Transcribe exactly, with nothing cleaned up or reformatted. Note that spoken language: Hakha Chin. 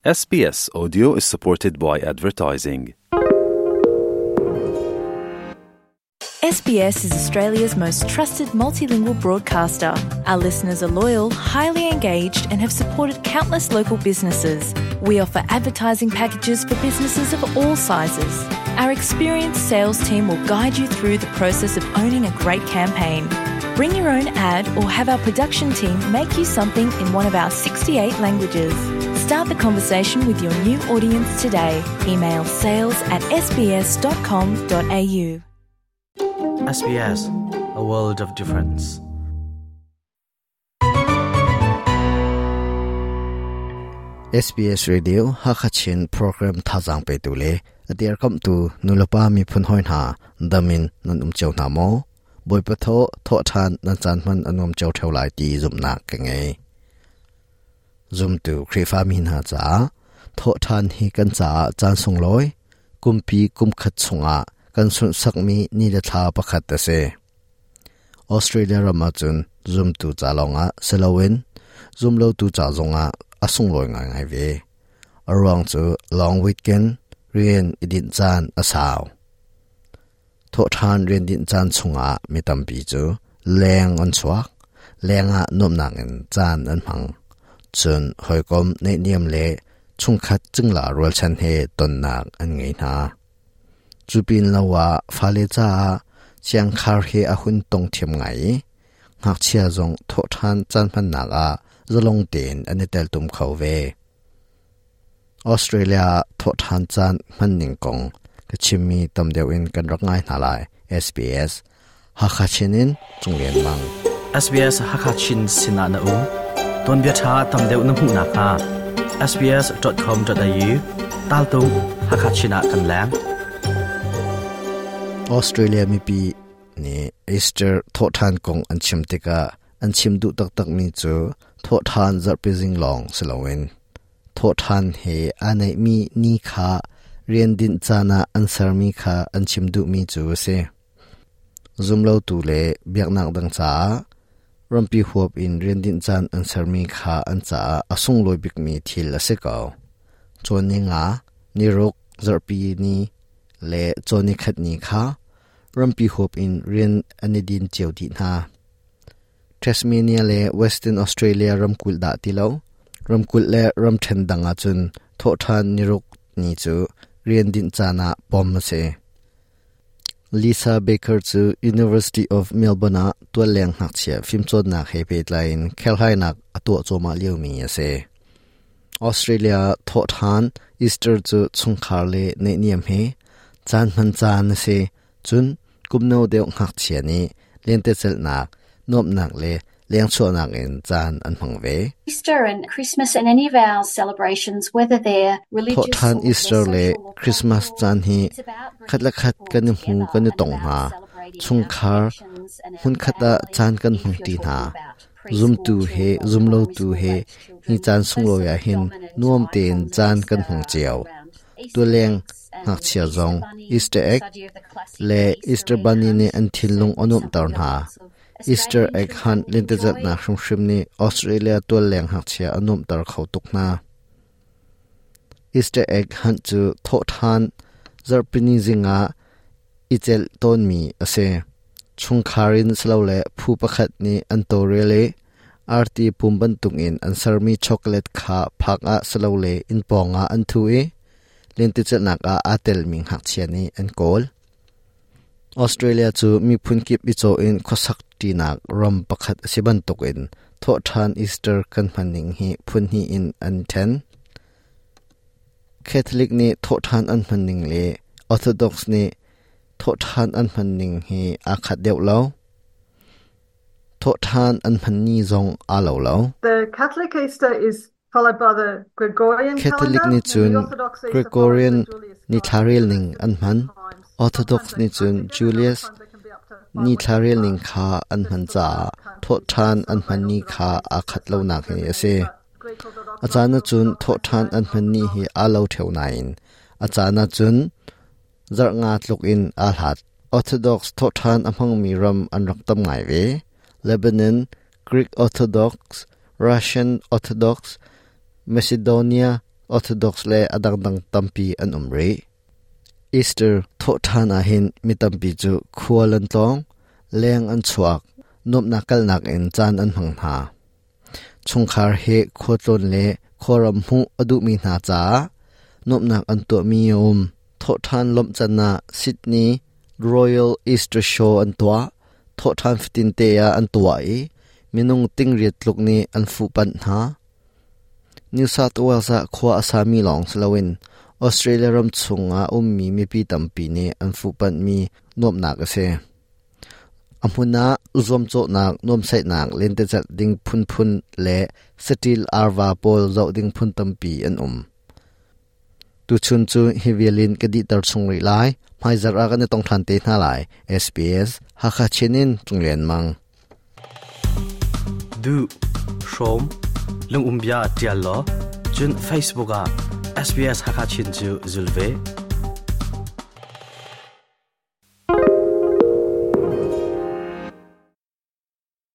S B S Audio is supported by advertising. S B S is Australia's most trusted multilingual broadcaster. Our listeners are loyal, highly engaged, and have supported countless local businesses. We offer advertising packages for businesses of all sizes. Our experienced sales team will guide you through the process of owning a great campaign. Bring your own ad or have our production team make you something in one of our sixty-eight languages. Start the conversation with your new audience today. Email sales at S B S dot com dot A U. S B S, a world of difference. S B S Radio Hakachin program thazang pe tu le adiar kam tu nulopa mi phun hoi na damin nan um cheu na mo boi pa tho tho than nan chan man anom cheu theu lai ti zum na ka nge zum tu khrifa mi na cha tho than hi kan cha chan sung loi kumpi kum khat chunga kan sun sak mi ni le thla pakhat ta se Australia rama chun zum tu cha longa selowin zum lo tu cha zonga asung loi ngai ngai ve arong chu long weekend rian idin chan asaw tho than rian din chan chunga mi tampi chu leng an chuak lenga nom nang in chan an hmang chun hoikom nei niam le chungkhat chingla rol chan he ton nak an ngei na chupin lawa fale cha chiang khar he ahun tong thiam ngai ngak chia zong tho than chan phan nak a zalong ten ani tel tum khau ve Australia tho than chan man ning kong ka chimmi tam deuh in kan rak ngai hna lai. S B S Hakachinin Chunglen Mang. S B S Hakachin Sinana U ton bia tha tam deuh na hmu nak ha S B S dot com dot A U tal tu Hakachina kan lang. Australia mi pi ni Easter tho than kong an chim tika an chim du tak tak mi chu tho than zarpi jing long selowin tho than he anai mi ni kha rian din chana an sar mi kha an chim du mi chu se zum lo tu le biak nak dang cha rampi huap in rian din chan an sar mi kha an cha asung loi bik mi thil ase kaw chon ni nga ni rok zarpi ni le choni khat ni kha rampi huap in rian ani din cheu di na Tasmania le Western Australia ramkul da tilo ramkul le ram then danga chun tho than niruk ni chu rian din chana pom se Lisa Baker chu University of Melbourne a tual leng hak chia phim chon nak he pe line khel hai nak ato choma liu mi ase Australia tho than Easter chu chungkhar le nei niam he chan man chan se chun kumno deuh ngak chia ni lente chel nak nom nak le leng chu nak in chan an hmang ve. Easter and Christmas and any of our celebrations, whether they're tho religious than or Easter they're le social or Christmas cultural, chan hi it's about bringing khat la khat people kan ni hmu together kan ni and tong about ha celebrating our chungkhar connections and our hun khata family. Chan kan If hmang you're ti talking na about zum preschool tu he children or zum lo primary tu school he age hi children, chan sung those lo sort ya of hin dominant nuam ten icons of chan kan Easter hmang are chiao around tu Easter leng eggs and ngak chia Easter zong bunny, Easter this egg idea of the classic le Easter Easter egg bunny ni hunt an is thinlung certainly anuam something tar that na lots of Easter Australian egg hunt children lin te zat enjoy. na hrim hrim ni Australia tual leng hak chia anuam tar khau tuk na Easter egg hunt chu tho than zarpini zinga ichel ton mi ase chungkharin slo le phu pakhat ni an to rele arti pumban tungin an sarmi chocolate kha phak a slo le in ponga an thu e len ti chelnak a atel ming hak chia ni an kol Australia chu mi phun kip i cho in khosak ti nak ram pakhat siban tuk in tho than Easter kan maning hi phun hi in an then Catholic ni tho than an maning le Orthodox ni tho than an maning hi a khat deuh lo tho than an man ni zong a lo lo. The Catholic Easter is followed by the Gregorian Catholic calendar, ni and the chun Orthodox Easter follows Gregorian the Julius ni calendar. thlarel ning an man Times. Orthodox Sometimes ni they- chun I think Julius sometimes they can be up to five ni weeks thlarel apart. ning kha an man cha tho than an man ni kha a khat lo nak hi ase Greek Orthodox, achana chun tho than an man ni hi a lo theu na in achana chun zar nga tluk in a hlat Orthodox tho than amang mi ram an rak tam ngai ve Lebanon, Greek Orthodox, Russian Orthodox, Macedonia. Orthodox le adangdang tampi an um rih. Easter thawhṭhan ahhin mi tampi cu khual an tlawng, leng an chuak, nuamhnak kalnak in caan an hmang hna. Chungkhar he khualtlawn le khuaram hmuh a duhmi hna caah nuamhnak an tuahmi a um. Thawhṭhan lawmh can ah Sydney Royal Easter Show an tuah. Thawhṭhan fatin te ah an tuah i minung tingriat tluk nih an fuhpanh hna. New South Wales ah khua a sami lawng si loin Australia ram chungah ummi mipi tampi nih an fuhpanhmi nuamhnak a si. A hmun ah zuamcawhnak, nuamhsaihnak, lentecelh ding phunphun le saṭil arva pawl zoh ding phun tampi an um. Tuchun cu hi vial in ka dihter chung rih lai. Hmaizarh ah kan i tong ṭhan te hna lai. SBS Hakha Chin in Cung Lian Mang. Du, hrawm, lung umbia tial law, cun Facebook ah SBS Hakha Chin cu zul ve.